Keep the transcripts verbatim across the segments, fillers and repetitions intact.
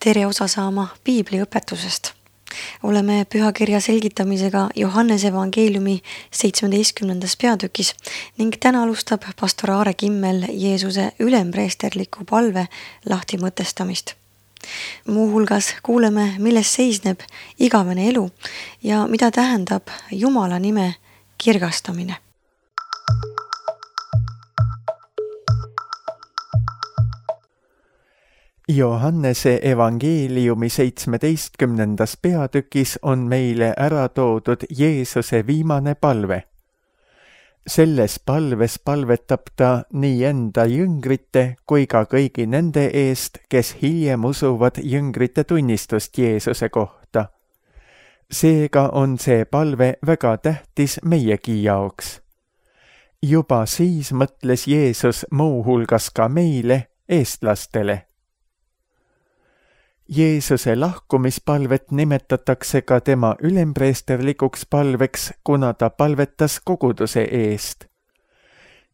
tere osa saama piibli õpetusest. Oleme pühakirja selgitamisega Johannese evangeeliumi seitsmeteistkümnendas peatükis ning täna alustab pastor Aare Kimmel Jeesuse ülempreesterliku palve lahtimõtestamist. Muuhulgas kuuleme, milles seisneb igavene elu ja mida tähendab Jumala nime kirgastamine. Johannese evangeeliumi seitsmeteistkümnendas peatükis on meile ära toodud Jeesuse viimane palve. Selles palves palvetab ta nii enda jüngrite kui ka kõigi nende eest, kes hiljem usuvad jüngrite tunnistust Jeesuse kohta. Seega on see palve väga tähtis meiegi jaoks. Juba siis mõtles Jeesus muu hulgas ka meile, eestlastele. Jeesuse lahkumispalvet nimetatakse ka tema ülempreesterlikuks palveks, kuna ta palvetas koguduse eest.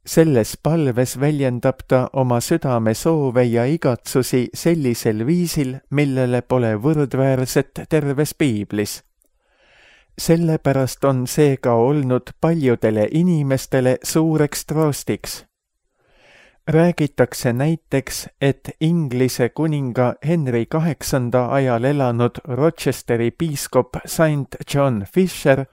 Selles palves väljendab ta oma südame soove ja igatsusi sellisel viisil, millele pole võrdväärset terves piiblis. Sellepärast on see ka olnud paljudele inimestele suureks troostiks. Räägitakse näiteks, et Inglise kuninga Henry kaheksanda ajal elanud Rochesteri piiskop Saint John Fisher,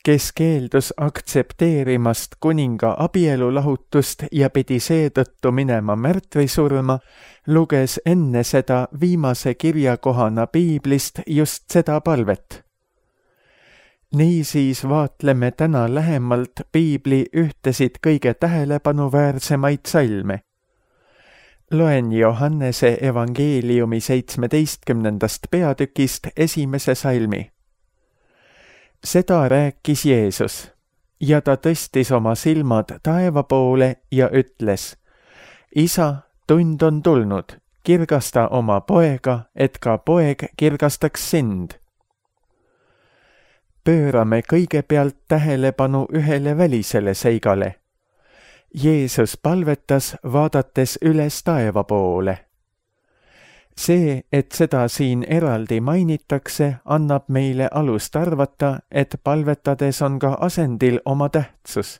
kes keeldus aktsepteerimast kuninga abielulahutust ja pidi seetõttu minema märtrisurma, luges enne seda viimase kirjakohana piiblist just seda palvet. Niisiis vaatleme täna lähemalt piibli ühtesid kõige tähelepanuväärsemaid salme. Loen Johannese evangeeliumi seitsmeteistkümnendast peatükist esimese salmi. Seda rääkis Jeesus, ja ta tõstis oma silmad taeva poole ja ütles: Isa, tund on tulnud, kirgasta oma poega, et ka poeg kirgastaks sind. Pöörame kõigepealt tähelepanu ühele välisele seigale. Jeesus palvetas, vaadates üles taeva poole. See, et seda siin eraldi mainitakse, annab meile alust arvata, et palvetades on ka asendil oma tähtsus.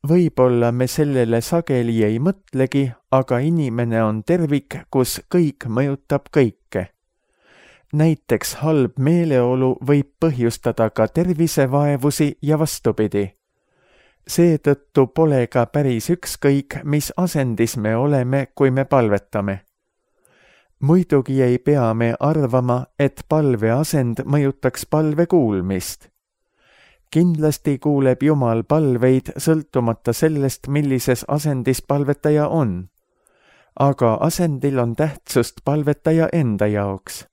Võib-olla me sellele sageli ei mõtlegi, aga inimene on tervik, kus kõik mõjutab kõike. Näiteks halb meeleolu võib põhjustada ka tervisevaevusi ja vastupidi. Seetõttu pole ka päris ükskõik, mis asendis me oleme, kui me palvetame. Muidugi ei pea me arvama, et palve asend mõjutaks palve kuulmist. Kindlasti kuuleb Jumal palveid sõltumata sellest, millises asendis palvetaja on. Aga asendil on tähtsust palvetaja enda jaoks.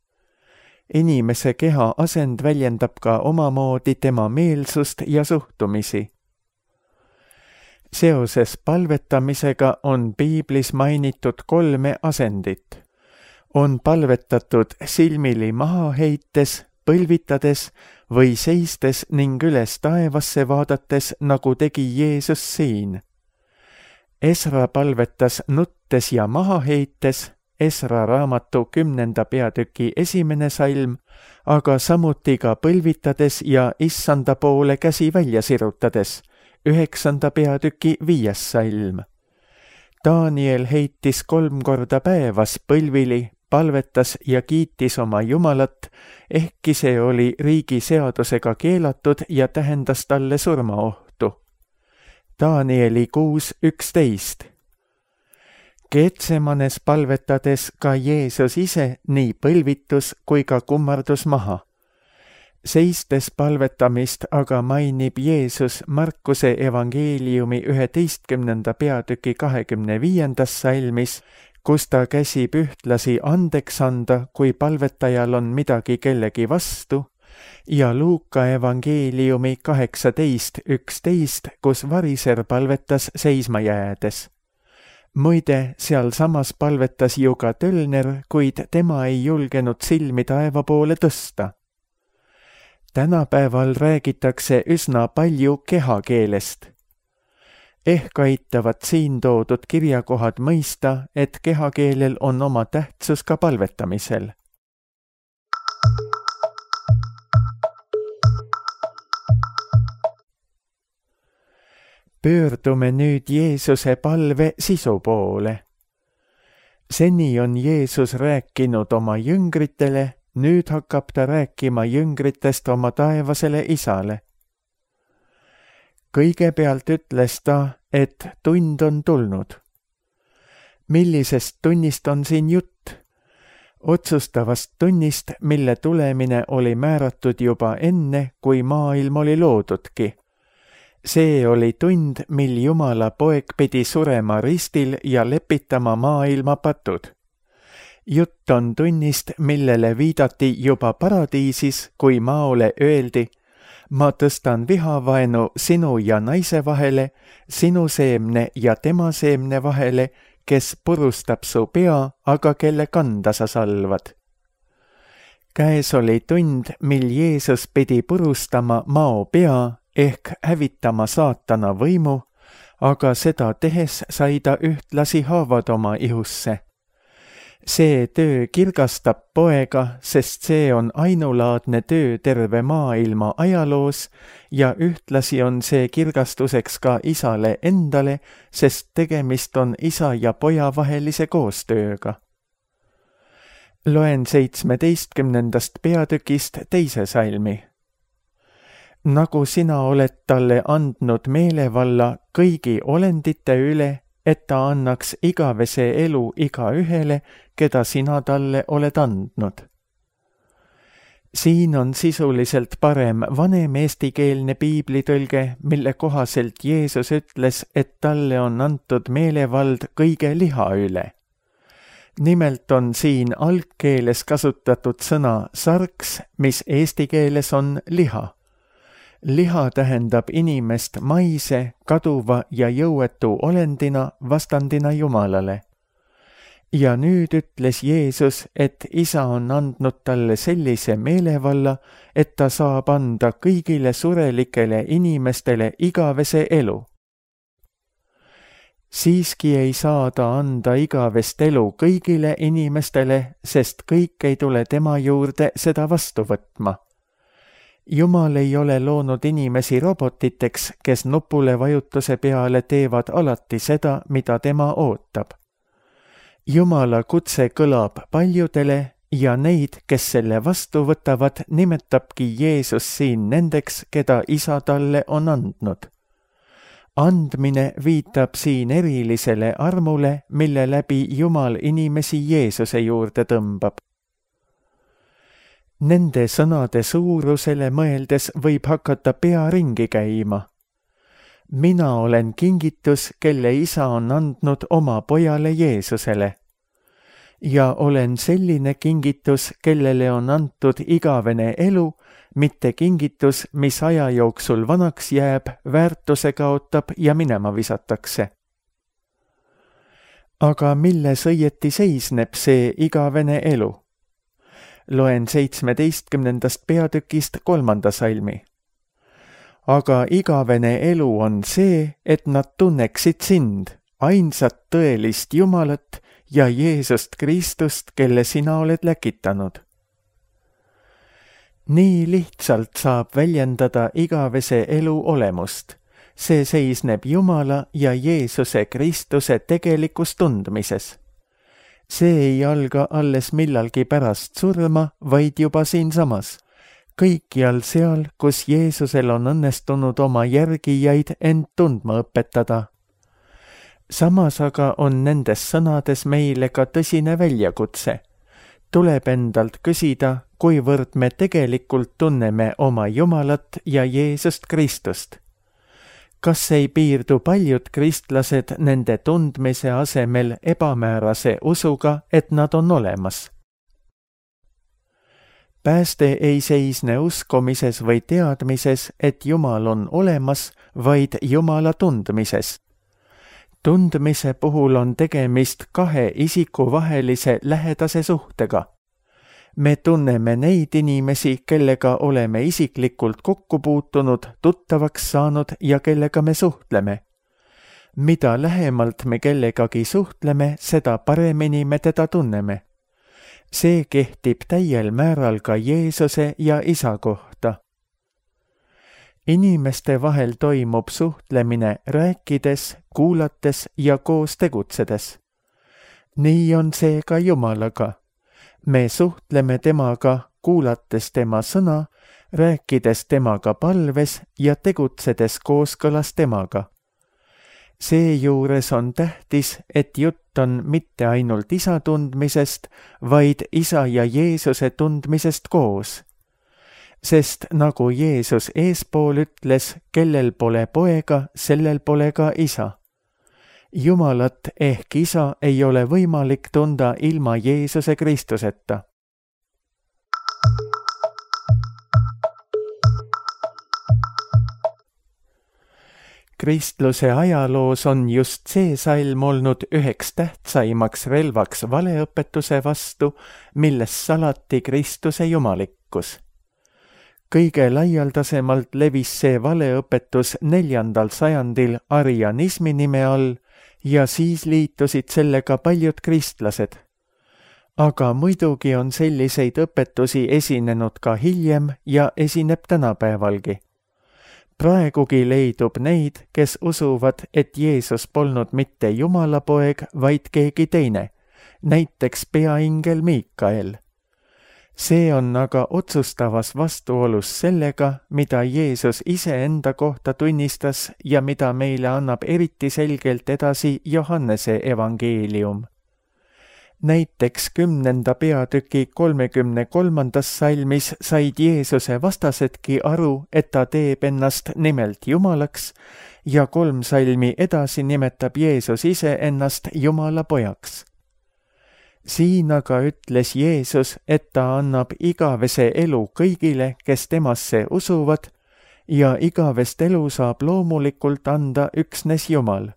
Inimese keha asend väljendab ka omamoodi tema meelsust ja suhtumisi. Seoses palvetamisega on piiblis mainitud kolme asendit. On palvetatud silmili maha heites, põlvitades või seistes ning üles taevasse vaadates, nagu tegi Jeesus siin. Esra palvetas nuttes ja maha heites, Esra raamatu kümnenda peatüki esimene salm, aga samuti ka põlvitades ja issanda poole käsi välja sirutades, üheksanda peatüki viies salm. Daniel heitis kolm korda päevas põlvili, palvetas ja kiitis oma Jumalat, ehkki see oli riigi seadusega keelatud ja tähendas talle surmaohtu. Danieli kuus üksteist. Getsemanes palvetades ka Jeesus ise nii põlvitus kui ka kummardus maha. Seistes palvetamist aga mainib Jeesus Markuse evangeeliumi üheteistkümnenda peatüki kahekümne viiendas salmis, kus ta käsib ühtlasi andeks anda, kui palvetajal on midagi kellegi vastu, ja Luuka evangeeliumi kaheksateist üksteist, kus variser palvetas seisma jäädes. Muide, seal samas palvetas ju ka tölner, kuid tema ei julgenud silmi taeva poole tõsta. Tänapäeval räägitakse üsna palju kehakeelest. ehk aitavad siin toodud kirjakohad mõista, et kehakeelel on oma tähtsus ka palvetamisel. Pöördume nüüd Jeesuse palve sisu poole. Seni on Jeesus rääkinud oma jüngritele, nüüd hakkab ta rääkima jüngritest oma taevasele Isale. Kõigepealt ütles ta, et tund on tulnud. Millisest tunnist on siin jutt? Otsustavast tunnist, mille tulemine oli määratud juba enne, kui maailm oli loodudki. See oli tund, mil Jumala poeg pidi surema ristil ja lepitama maailma patud. Jutt on tunnist, millele viidati juba paradiisis, kui maole öeldi: ma tõstan vihavaenu sinu ja naise vahele, sinu seemne ja tema seemne vahele, kes purustab su pea, aga kelle kanda sa salvad. Käes oli tund, mil Jeesus pidi purustama mao pea ehk hävitama saatana võimu, aga seda tehes sai ta ühtlasi haavad oma ihusse. See töö kirgastab poega, sest see on ainulaadne töö terve maailma ajaloos ja ühtlasi on see kirgastuseks ka Isale endale, sest tegemist on isa ja poja vahelise koostööga. Loen seitsmeteistkümnendast peatükist teise salmi. Nagu sina oled talle andnud meelevalla kõigi olendite üle, et ta annaks igavese elu igaühele, keda sina talle oled andnud. Siin on sisuliselt parem vanem eestikeelne piiblitõlge, mille kohaselt Jeesus ütles, et talle on antud meelevald kõige liha üle. Nimelt on siin algkeeles kasutatud sõna sarks, mis eesti keeles on liha. Liha tähendab inimest maise, kaduva ja jõuetu olendina vastandina Jumalale. Ja nüüd ütles Jeesus, et isa on andnud talle sellise meelevalla, et ta saab anda kõigile surelikele inimestele igavese elu. Siiski ei saa ta anda igavest elu kõigile inimestele, sest kõik ei tule tema juurde seda vastu võtma. Jumal ei ole loonud inimesi robotiteks, kes nupule vajutuse peale teevad alati seda, mida tema ootab. Jumala kutse kõlab paljudele ja neid, kes selle vastu võtavad, nimetabki Jeesus siin nendeks, keda isa talle on andnud. Andmine viitab siin erilisele armule, mille läbi Jumal inimesi Jeesuse juurde tõmbab. Nende sõnade suurusele mõeldes võib hakata pea ringi käima. Mina olen kingitus, kelle isa on andnud oma pojale Jeesusele. Ja olen selline kingitus, kellele on antud igavene elu, mitte kingitus, mis aja jooksul vanaks jääb, väärtuse kaotab ja minema visatakse. Aga milles õieti seisneb see igavene elu? Loen seitsmeteistkümnendast peatükist kolmanda salmi. Aga igavene elu on see, et nad tunneksid sind, ainsat tõelist Jumalat ja Jeesust Kristust, kelle sina oled läkitanud. Nii lihtsalt saab väljendada igavese elu olemust. See seisneb Jumala ja Jeesuse Kristuse tegelikus tundmises. See ei alga alles millalgi pärast surma, vaid juba siinsamas. Kõikjal seal, kus Jeesusel on õnnestunud oma järgijaid end tundma õpetada. Samas aga on nendes sõnades meile ka tõsine väljakutse. Tuleb endalt küsida, kuivõrd me tegelikult tunneme oma Jumalat ja Jeesust Kristust. Kas ei piirdu paljud kristlased nende tundmise asemel ebamäärase usuga, et nad on olemas? Pääste ei seisne uskumises või teadmises, et Jumal on olemas, vaid Jumala tundmises. Tundmise puhul on tegemist kahe isiku vahelise lähedase suhtega. Me tunneme neid inimesi, kellega oleme isiklikult kokku puutunud, tuttavaks saanud ja kellega me suhtleme. mida lähemalt me kellegagi suhtleme, seda paremini me teda tunneme. See kehtib täiel määral ka Jeesuse ja Isa kohta. Inimeste vahel toimub suhtlemine rääkides, kuulates ja koos tegutsedes. Nii on see ka Jumalaga. Me suhtleme temaga, kuulates tema sõna, rääkides temaga palves ja tegutsedes kooskõlas temaga. Seejuures on tähtis, et jutt on mitte ainult Isa tundmisest, vaid Isa ja Jeesuse tundmisest koos. Sest nagu Jeesus eespool ütles, kellel pole poega, sellel pole ka Isa. Jumalat ehk Isa ei ole võimalik tunda ilma Jeesuse Kristuseta. Kristluse ajaloos on just see salm olnud üheks tähtsaimaks relvaks valeõpetuse vastu, milles salati Kristuse jumalikkus. Kõige laialdasemalt levis see valeõpetus neljandal sajandil arianismi nime all ja siis liitusid sellega paljud kristlased. Aga muidugi on selliseid õpetusi esinenud ka hiljem ja esineb tänapäevalgi. Praegugi leidub neid, kes usuvad, et Jeesus polnud mitte Jumala poeg, vaid keegi teine, näiteks peaingel Miikael. See on aga otsustavas vastuolus sellega, mida Jeesus ise enda kohta tunnistas ja mida meile annab eriti selgelt edasi Johannese evangeelium. Näiteks kümnenda peatüki kolmekümne kolmandas salmis said Jeesuse vastasedki aru, et ta teeb ennast nimelt Jumalaks ja kolm salmi edasi nimetab Jeesus ise ennast Jumala pojaks. Siin aga ütles Jeesus, et ta annab igavese elu kõigile, kes temasse usuvad ja igavest elu saab loomulikult anda üksnes Jumal.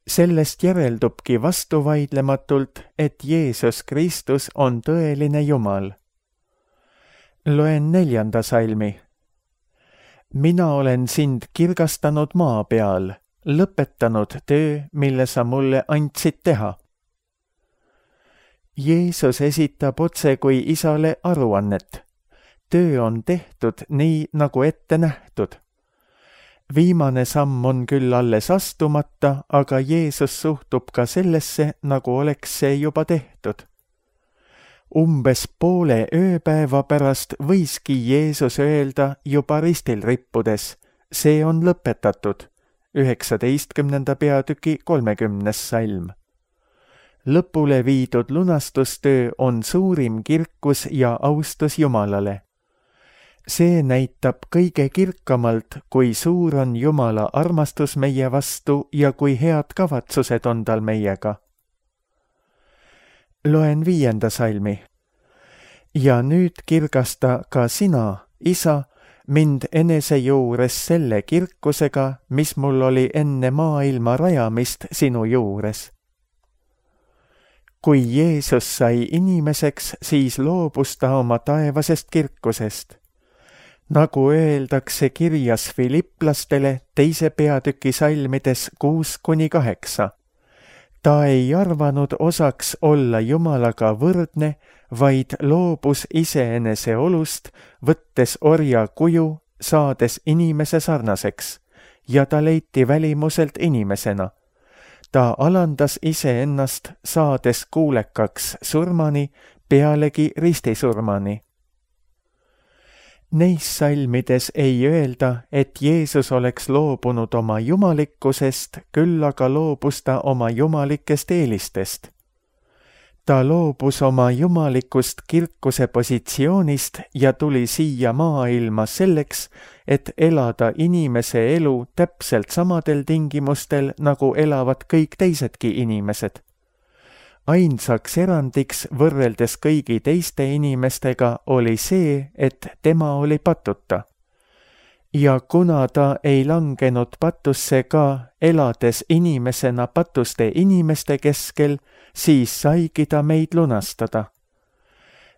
Sellest järeldubki vastuvaidlematult, et Jeesus Kristus on tõeline Jumal. Loen neljanda salmi. Mina olen sind kirgastanud maa peal, lõpetanud töö, mille sa mulle andsid teha. Jeesus esitab otse kui Isale aruannet. Töö on tehtud nii, nagu ette nähtud. Viimane samm on küll alles astumata, aga Jeesus suhtub ka sellesse, nagu oleks see juba tehtud. Umbes poole ööpäeva pärast võiski Jeesus öelda juba ristil rippudes, see on lõpetatud, üheksateistkümnenda peatüki kolmekümnes salm. Lõpule viidud lunastustöö on suurim kirkus ja austus Jumalale. See näitab kõige kirkamalt, kui suur on Jumala armastus meie vastu ja kui head kavatsused on tal meiega. Loen viienda salmi. Ja nüüd kirgasta ka sina, Isa, mind enese juures selle kirkusega, mis mul oli enne maailma rajamist sinu juures. Kui Jeesus sai inimeseks, siis loobus ta oma taevasest kirkusest. Nagu öeldakse kirjas Filipplastele teise peatüki salmides kuus kuni kaheksa. Ta ei arvanud osaks olla Jumalaga võrdne, vaid loobus iseenese olust, võttes orja kuju, saades inimese sarnaseks, ja ta leiti välimuselt inimesena. Ta alandas iseennast, saades kuulekaks surmani, pealegi ristisurmani. Neis salmides ei öelda, et Jeesus oleks loobunud oma jumalikkusest, küll aga loobus ta oma jumalikest eelistest. Ta loobus oma jumalikust kirkuse positsioonist ja tuli siia maailma selleks, et elada inimese elu täpselt samadel tingimustel, nagu elavad kõik teisedki inimesed. Ainsaks erandiks võrreldes kõigi teiste inimestega oli see, et tema oli patuta. Ja kuna ta ei langenud patusse ka, elades inimesena patuste inimeste keskel, siis saigi ta meid lunastada.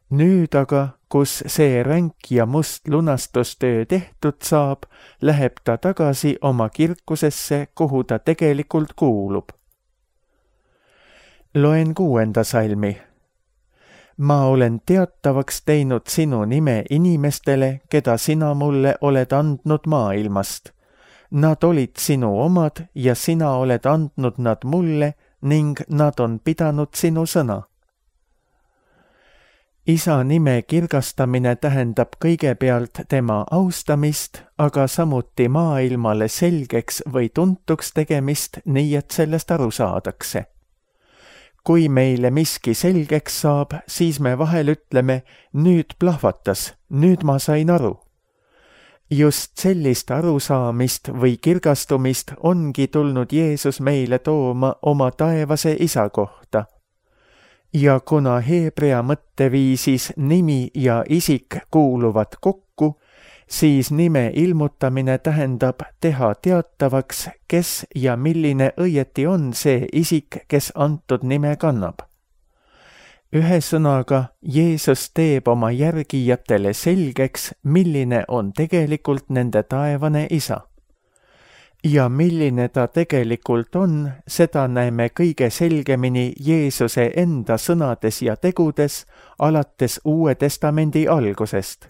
nüüd aga, kus see ränk ja must lunastustöö tehtud saab, läheb ta tagasi oma kirkusesse, kuhu ta tegelikult kuulub. Loen kuuenda salmi. Ma olen teatavaks teinud sinu nime inimestele, keda sina mulle oled andnud maailmast. Nad olid sinu omad ja sina oled andnud nad mulle ning nad on pidanud sinu sõna. Isa nime kirgastamine tähendab kõigepealt tema austamist, aga samuti maailmale selgeks või tuntuks tegemist, nii et sellest aru saadakse. Kui meile miski selgeks saab, siis me vahel ütleme, nüüd plahvatas, nüüd ma sain aru. Just sellist arusaamist või kirgastumist ongi tulnud Jeesus meile tooma oma taevase isa kohta. Ja kuna heebrea mõtteviisis nimi ja isik kuuluvad kokku, siis nime ilmutamine tähendab teha teatavaks, kes ja milline õieti on see isik, kes antud nime kannab. Ühesõnaga, Jeesus teeb oma järgijatele selgeks, milline on tegelikult nende taevane isa. Ja milline ta tegelikult on, seda näeme kõige selgemini Jeesuse enda sõnades ja tegudes, alates Uue Testamendi algusest.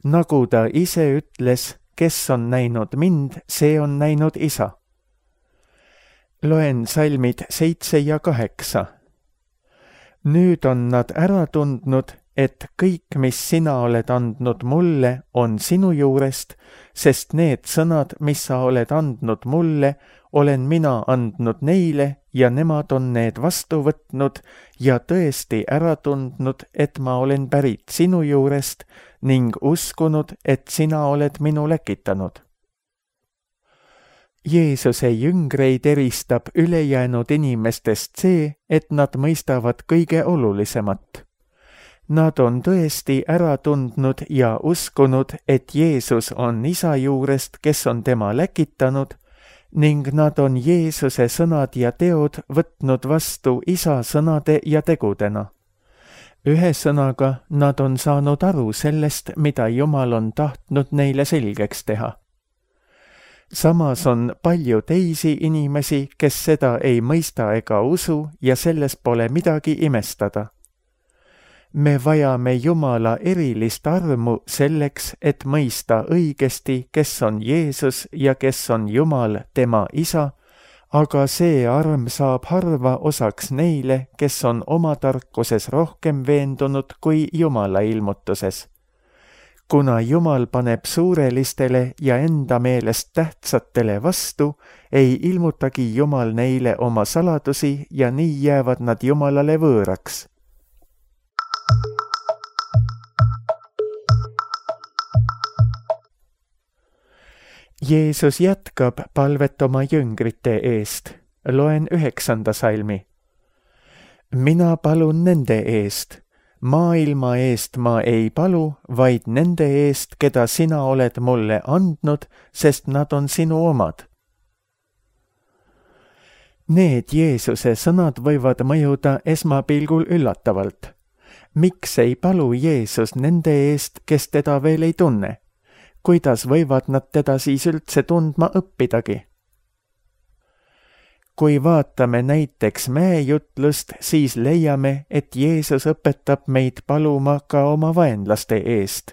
Nagu ta ise ütles, kes on näinud mind, see on näinud isa. Loen salmid seitse ja kaheksa. Nüüd on nad ära tundnud, et kõik, mis sina oled andnud mulle, on sinu juurest, sest need sõnad, mis sa oled andnud mulle, olen mina andnud neile ja nemad on need vastu võtnud ja tõesti ära tundnud, et ma olen pärit sinu juurest ning uskunud, et sina oled minu läkitanud. Jeesuse jüngreid eristab ülejäänud inimestest see, et nad mõistavad kõige olulisemat. Nad on tõesti ära tundnud ja uskunud, et Jeesus on isa juurest, kes on tema läkitanud, ning nad on Jeesuse sõnad ja teod võtnud vastu isa sõnade ja tegudena. Ühesõnaga, nad on saanud aru sellest, mida Jumal on tahtnud neile selgeks teha. Samas on palju teisi inimesi, kes seda ei mõista ega usu ja selles pole midagi imestada. Me vajame Jumala erilist armu selleks, et mõista õigesti, kes on Jeesus ja kes on Jumal, tema isa, aga see arm saab harva osaks neile, kes on oma tarkuses rohkem veendunud kui Jumala ilmutuses. Kuna Jumal paneb suurelistele ja enda meelest tähtsatele vastu, ei ilmutagi Jumal neile oma saladusi ja nii jäävad nad Jumalale võõraks. Jeesus jätkab palvet oma jüngrite eest. Loen üheksanda salmi. Mina palun nende eest. Maailma eest ma ei palu, vaid nende eest, keda sina oled mulle andnud, sest nad on sinu omad. Need Jeesuse sõnad võivad mõjuda esmapilgul üllatavalt. Miks ei palu Jeesus nende eest, kes teda veel ei tunne? Kuidas võivad nad teda siis üldse tundma õppidagi? Kui vaatame näiteks mäejutlust, siis leiame, et Jeesus õpetab meid paluma ka oma vaenlaste eest.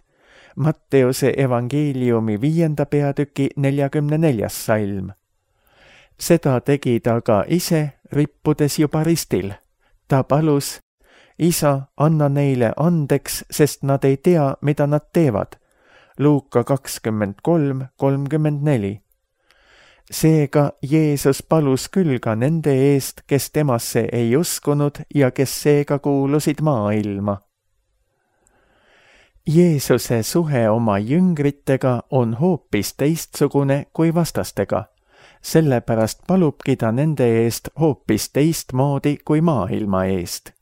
Matteuse evangeeliumi viienda peatüki neljakümne neljas salm. Seda tegi ta ka ise, rippudes juba ristil. Ta palus, isa, anna neile andeks, sest nad ei tea, mida nad teevad. Luuka kakskümmend kolm kolmkümmend neli. Seega Jeesus palus küll ka nende eest, kes temasse ei uskunud ja kes seega kuulusid maailma. Jeesuse suhe oma jüngritega on hoopis teistsugune kui vastastega. Sellepärast palubki ta nende eest hoopis teistmoodi kui maailma eest.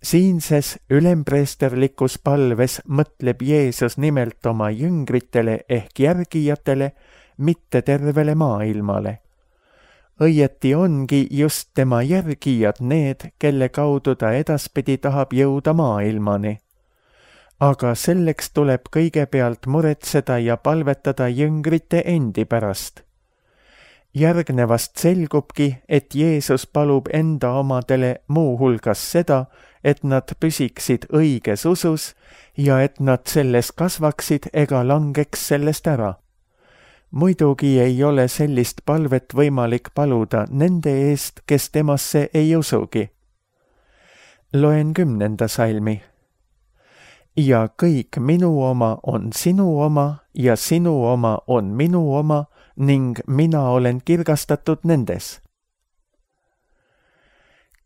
Siinses ülempreesterlikus palves mõtleb Jeesus nimelt oma jüngritele ehk järgijatele, mitte tervele maailmale. õieti ongi just tema järgijad need, kelle kaudu ta edaspidi tahab jõuda maailmani. Aga selleks tuleb kõigepealt muretseda ja palvetada jüngrite endi pärast. Järgnevast selgubki, et Jeesus palub enda omadele muu hulgas seda, et nad püsiksid õiges usus ja et nad selles kasvaksid ega langeks sellest ära. Muidugi ei ole sellist palvet võimalik paluda nende eest, kes temasse ei usugi. Loen kümnenda salmi. Ja kõik minu oma on sinu oma ja sinu oma on minu oma ning mina olen kirgastatud nendes.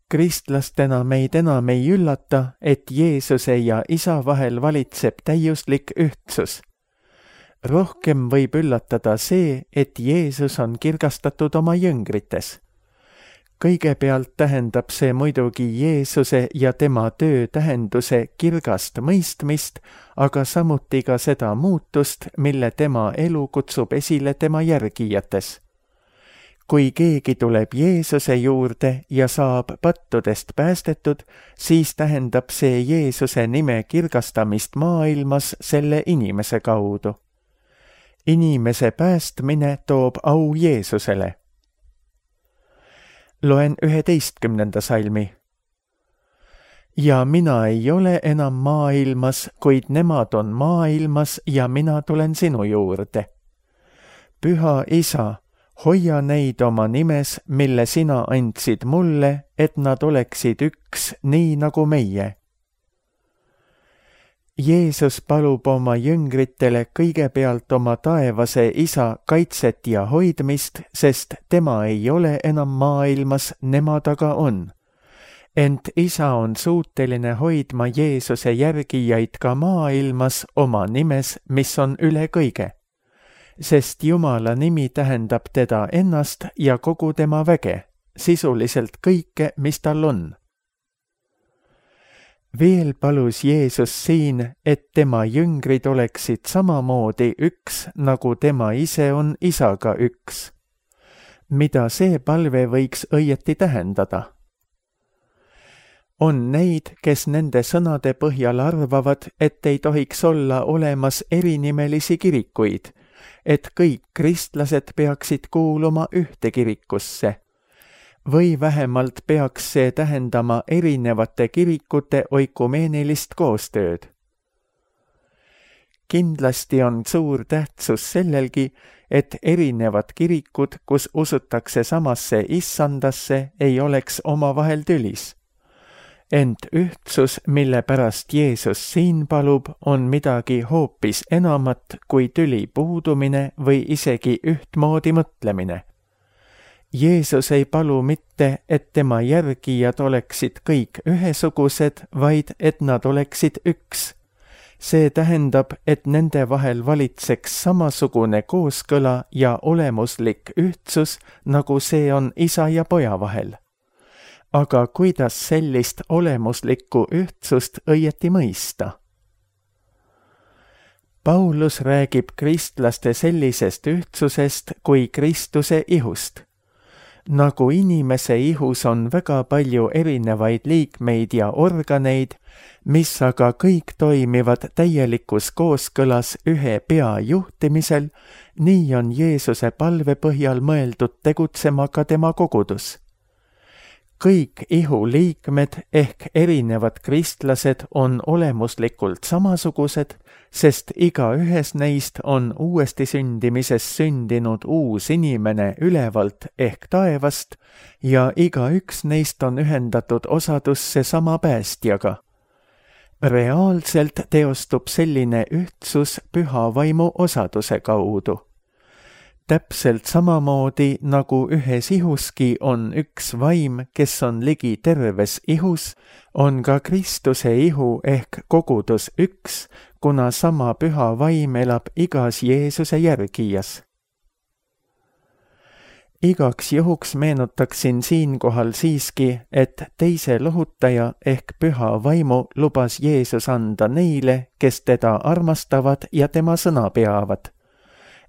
Kristlastena meid enam ei üllata, et Jeesuse ja Isa vahel valitseb täiuslik ühtsus. Rohkem võib üllatada see, et Jeesus on kirgastatud oma jüngrites. Kõigepealt tähendab see muidugi Jeesuse ja tema töö tähenduse kirgast mõistmist, aga samuti ka seda muutust, mille tema elu kutsub esile tema järgijates. Kui keegi tuleb Jeesuse juurde ja saab pattudest päästetud, siis tähendab see Jeesuse nime kirgastamist maailmas selle inimese kaudu. Inimese päästmine toob au Jeesusele. Loen üheteistkümnenda salmi. Ja mina ei ole enam maailmas, kuid nemad on maailmas ja mina tulen sinu juurde. Püha Isa, hoia neid oma nimes, mille sina andsid mulle, et nad oleksid üks, nii nagu meie. Jeesus palub oma jüngritele kõigepealt oma taevase Isa kaitset ja hoidmist, sest tema ei ole enam maailmas, nemad aga on. Ent Isa on suuteline hoidma Jeesuse järgijaid ka maailmas oma nimes, mis on üle kõige. Sest Jumala nimi tähendab teda ennast ja kogu tema väge, sisuliselt kõike, mis tal on. Veel palus Jeesus siin, et tema jüngrid oleksid samamoodi üks, nagu tema ise on Isaga üks. Mida see palve võiks õieti tähendada? On neid, kes nende sõnade põhjal arvavad, et ei tohiks olla olemas erinimelisi kirikuid, et kõik kristlased peaksid kuuluma ühte kirikusse. Või vähemalt peaks see tähendama erinevate kirikute oikumeenilist koostööd. Kindlasti on suur tähtsus sellelgi, et erinevad kirikud, kus usutakse samasse issandasse, ei oleks omavahel tülis. Ent ühtsus, mille pärast Jeesus siin palub, on midagi hoopis enamat kui tüli puudumine või isegi ühtmoodi mõtlemine. Jeesus ei palu mitte, et tema järgijad oleksid kõik ühesugused, vaid et nad oleksid üks. See tähendab, et nende vahel valitseks samasugune kooskõla ja olemuslik ühtsus, nagu see on isa ja poja vahel. Aga kuidas sellist olemuslikku ühtsust õieti mõista? Paulus räägib kristlaste sellisest ühtsusest kui Kristuse ihust. Nagu inimese ihus on väga palju erinevaid liikmeid ja organeid, mis aga kõik toimivad täielikus kooskõlas ühe pea juhtimisel, nii on Jeesuse palve põhjal mõeldud tegutsema ka tema kogudus. Kõik ihu liikmed ehk erinevad kristlased on olemuslikult samasugused, sest igaühes neist on uuesti sündimises sündinud uus inimene ülevalt ehk taevast ja igaüks neist on ühendatud osadusse sama päästjaga. Reaalselt teostub selline ühtsus püha vaimu osaduse kaudu. Täpselt samamoodi nagu ühes ihuski on üks vaim, kes on ligi terves ihus, on ka Kristuse ihu ehk kogudus üks, kuna sama püha vaim elab igas Jeesuse järgijas. Igaks juhuks meenutaksin siinkohal siiski, et teise lohutaja ehk püha vaimu lubas Jeesus anda neile, kes teda armastavad ja tema sõna peavad.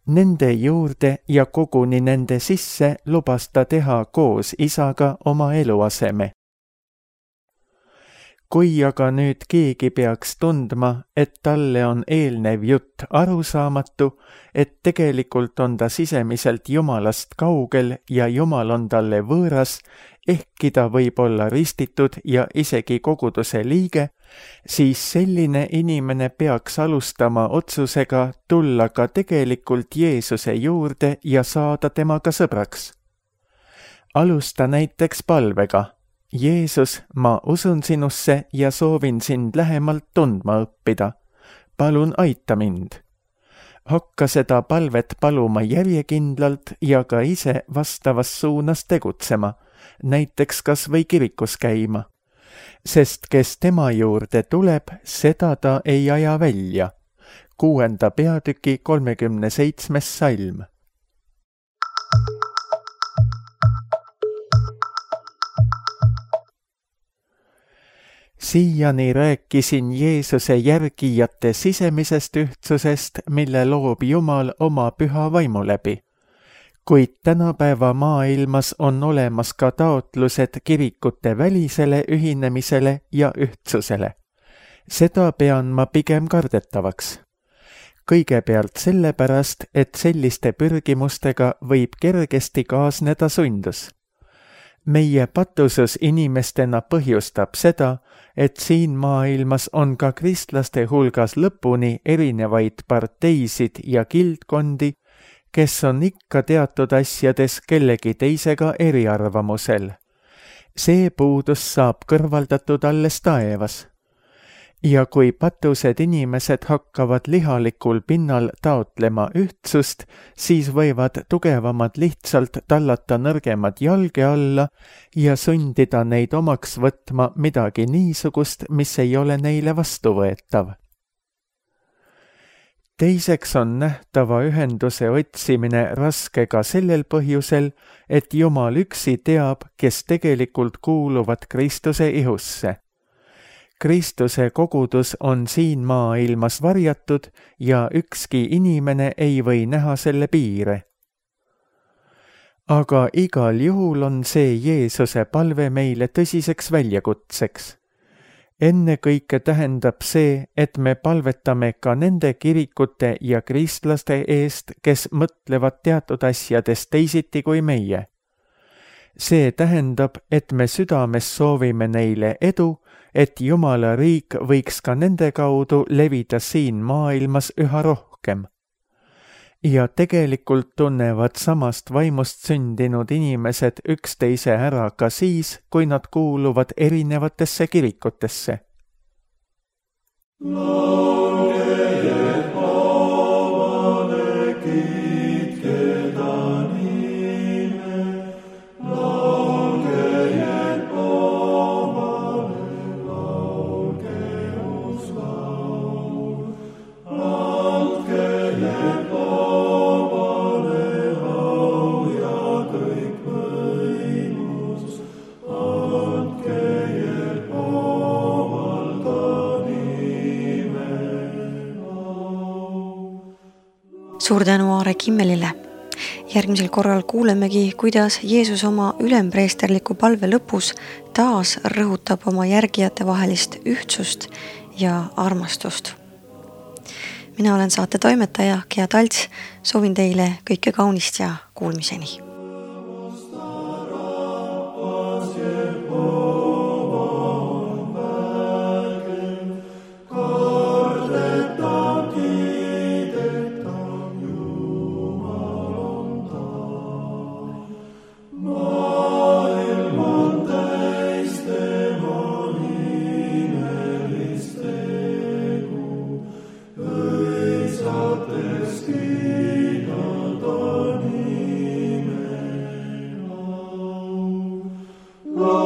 Nende juurde ja koguni nende sisse lubas ta teha koos isaga oma eluaseme. Kui aga nüüd keegi peaks tundma, et talle on eelnev jutt arusaamatu, et tegelikult on ta sisemiselt Jumalast kaugel ja Jumal on talle võõras, ehkki ta võib olla ristitud ja isegi koguduse liige, siis selline inimene peaks alustama otsusega tulla ka tegelikult Jeesuse juurde ja saada temaga sõbraks. Alusta näiteks palvega. Jeesus, ma usun sinusse ja soovin sind lähemalt tundma õppida. Palun aita mind. Hakka seda palvet paluma järjekindlalt ja ka ise vastavas suunas tegutsema, näiteks kas või kirikus käima. Sest kes tema juurde tuleb, seda ta ei aja välja. Kuuenda peatüki kolmekümne seitsmes salm. Siiani rääkisin Jeesuse järgijate sisemisest ühtsusest, mille loob Jumal oma püha vaimu läbi. Kuid tänapäeva maailmas on olemas ka taotlused kirikute välisele ühinemisele ja ühtsusele. Seda pean ma pigem kardetavaks. Kõigepealt sellepärast, et selliste pürgimustega võib kergesti kaasneda sundus. Meie patusus inimestena põhjustab seda, et siin maailmas on ka kristlaste hulgas lõpuni erinevaid parteisid ja kildkondi, kes on ikka teatud asjades kellegi teisega eriarvamusel. See puudus saab kõrvaldatud alles taevas. Ja kui patused inimesed hakkavad lihalikul pinnal taotlema ühtsust, siis võivad tugevamad lihtsalt tallata nõrgemad jalge alla ja sundida neid omaks võtma midagi niisugust, mis ei ole neile vastuvõetav. Teiseks on nähtava ühenduse otsimine raske ka sellel põhjusel, et Jumal üksi teab, kes tegelikult kuuluvad Kristuse ihusse. Kristuse kogudus on siin maailmas varjatud ja ükski inimene ei või näha selle piire. Aga igal juhul on see Jeesuse palve meile tõsiseks väljakutseks. Ennekõike tähendab see, et me palvetame ka nende kirikute ja kristlaste eest, kes mõtlevad teatud asjadest teisiti kui meie. See tähendab, et me südames soovime neile edu, et Jumala riik võiks ka nende kaudu levida siin maailmas üha rohkem. Ja tegelikult tunnevad samast vaimust sündinud inimesed üksteise ära ka siis, kui nad kuuluvad erinevatesse kirikutesse. Suur tänu Aare Kimmelile. Järgmisel korral kuulemegi, kuidas Jeesus oma ülempreesterliku palve lõpus taas rõhutab oma järgijate vahelist ühtsust ja armastust. Mina olen saate toimetaja Gea Talts, soovin teile kõike kaunist ja kuulmiseni. Oh